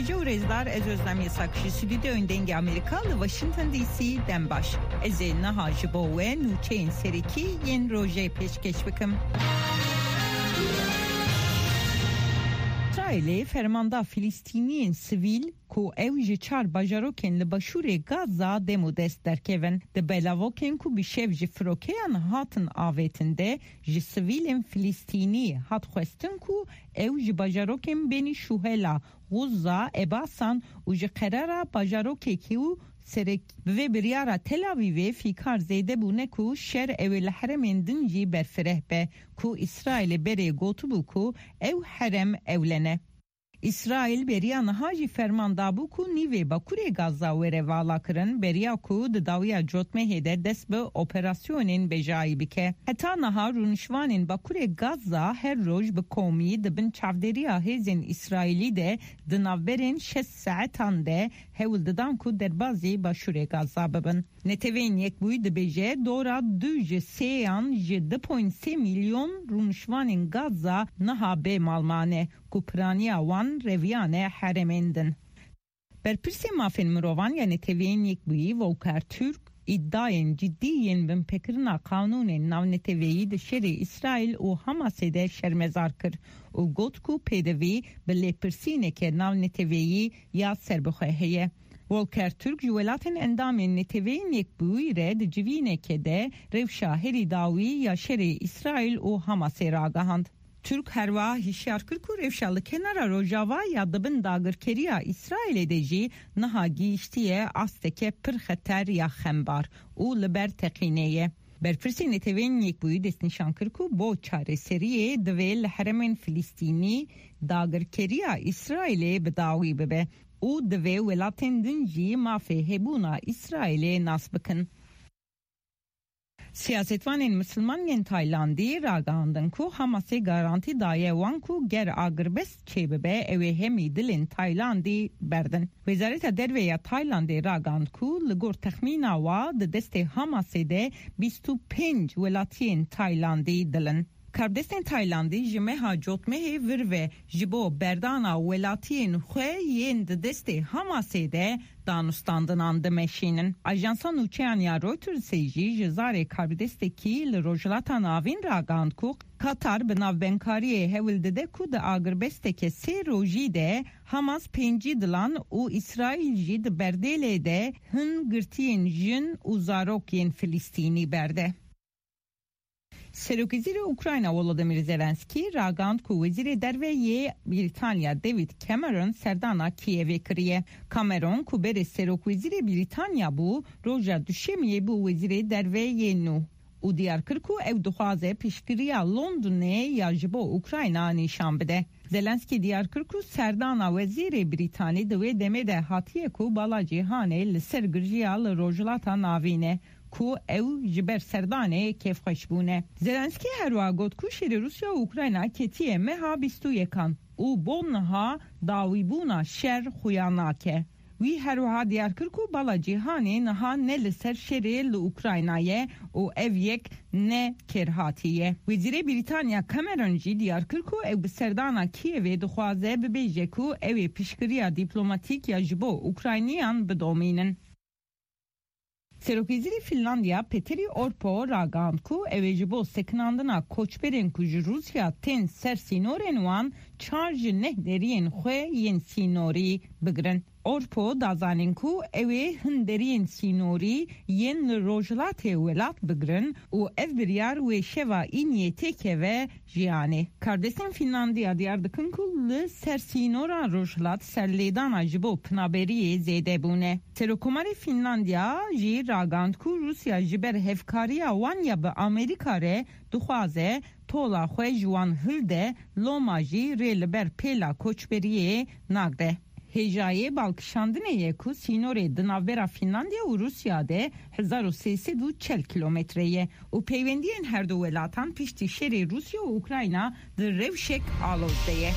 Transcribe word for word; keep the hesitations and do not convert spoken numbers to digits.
Ji û rêzdar, ez Özlem Yasak ji stûdyoyên Dengê Amerîka li Washington D C dem baş. Ez ê niha ji bo we nûçeyên serekî yên rojê pêşkêş bikim. Îsraîlê fermanda Filistîniyên sivîl ku ew ji çar bajarokên li başûrê Gaza dem û dest derkevin. Di belavokên ku bi şev ji firokeyan hatin avêtin de ji sivîlên Filistînî hat xwestin ku ew ji bajarokên Benî Şuhela, Xuzza, Ebasan û ji qerara bajarokekî û serek bi vê biryara Tel Avîvê fîkar zêde bûne ku şer ew ê li herêmên din jî berfireh be ku Îsraîlê berê gotibû ku ew herêm ewle ne. Îsraîl beriya niha jî ferman dabû ku nîvê bakurê Gaza were valakirin, beriya ku di dawiya cotmehê de dest bi operasyonên bejayî bike. Heta niha rûnişvanên bakurê Gaza her roj bi komî di bin çavdêriya hêzên Îsraîlî de di navberên şeş saetan de hewl didan ku derbazî başûrê Gaza bibin. Neteweyên Yekbûyî dibêje dora du ji sêyan ji du point sê milyon rûnişvanên Gaza niha bê mal mane ku piraniya wan reviyane herêmên din. Berpirsê mafên mirovan ya Neteweyên Yekbûyî Volker Türk îdiayên cidî yên binpêkirina qanûnên navneteweyî di şerê Îsraîl û Hamasê de şermezar kir û got ku pêdivî bi lêpirsîneke navneteweyî ya serbixwe heye. Volker Türk ji welatên endamên Neteweyên Yekbûyî re di civîneke de rewşa herî dawî ya şerê Îsraîl û Hamasê ragihand. Türk herwiha hişyar kir ku rewşa li kenara rojava ya di bin dagirkeriya Îsraîlê de jî niha gihîştiye asteke pir xeter ya xembar û li ber teqînê ye. Berpirsê Netewên Yekbûyî destnîşan kir ku bo çareseriyê divê li herêmên Filistînî dagirkeriya Îsraîlê bi dawî bibe û divê welatên din jî mafê hebûna Îsraîlê nas bikin. Siyasetvanên misilman yên Taylandî ragandin ku Hamasê garantî daye wan ku ger agirbest çêbibe, ew ê hemî dilên Taylandî berdin. Wezareta Derve ya Taylandê ragand ku li gor texmîna wa di destê Hamasê de bîst û pênc welatiyên Taylandî dil in. Karbidestên Taylandî ji meha cotmehê vir ve ji bo berdana welatiyên xwe yên di destê Hamasê de danûstandinan dimeşînin. Ajansa nûçeyan ya Reutersê jî ji zarê karbidestekî li Rojhilata Navîn ragihand ku Katar bi navbendkariyê hewl dide ku di agirbesteke sê rojî de Hamas pêncî dilan û Îsraîl jî di berdêlê de hin girtiyên jin û zarok yên Filistînî berde. Serokwezîrê Ukrayna Volodymyr Zelenskî ragand ku Wezîrê Derve yê Brîtanya David Cameron serdana Kîevê kiriye. Cameron ku berê Serokwezîrê Brîtanya bû, roja Duşemiyê bû Wezîrê Derve yê nû û diyar kir ku ew dixwaze piştgiriya Londonê ya ji bo Ukrayna nîşan bide. Zelenskî diyar kir ku serdana Wezîrê Brîtanî di wê demê de hatiye ku bala cîhanê li ser girjiya li Rojhilata Navîn e, ku ew ji ber serdanê kêfxweş bûne. Zelenskî herwiha got ku şerê Rûsya û Ukrayna ketiye meha bîst û yekan û bo niha dawîbûna şer xuya nake. Wî herwiha diyar kir ku bala cîhanê niha ne li ser şerê li Ukrayna ye û ev yek ne kêrhatî ye. Wezîrê Brîtanya Cameron jî diyar kir ku ew bi serdana Kîevê dixwaze bibêje ku ew ê piştgiriya dîplomatîk ya ji bo Ukrayniyan bidomînin. Serokwezîrê Finlandiya Petteri Orpo ragihand ku ew ê ji bo sekinandina koçberên ku ji Rûsya tên ser sînorên wan çar ji neh deriyên xwe yên sînorî bigirin. Orpo da zanîn ku ew ê hin deriyên sînorî yên li rojhilatê welat bigirin û ev biryar wê şeva îniyê têkeve jiyanê. Karbidestên Fînlandiya diyar dikin ku li ser sînora rojhilat serlêdana ji bo pinaberiyê zêde bûne. Serokkomarê Fînlandiya jî ragihand ku Rûsya ji ber hevkariya wan ya bi Amerîka re dixwaze tola xwe ji wan hilde, loma jî rê li ber pêla koçberiyê nagre. Hêjayê balkişandinê ye ku sînorê di navbera Fînlandiya û Rûsya de hezar û sê sed û çel kîlometre ye û peywendiyên her du welatan piştî şerê Rûsya û Ukrayna di rewşek aloz de ye.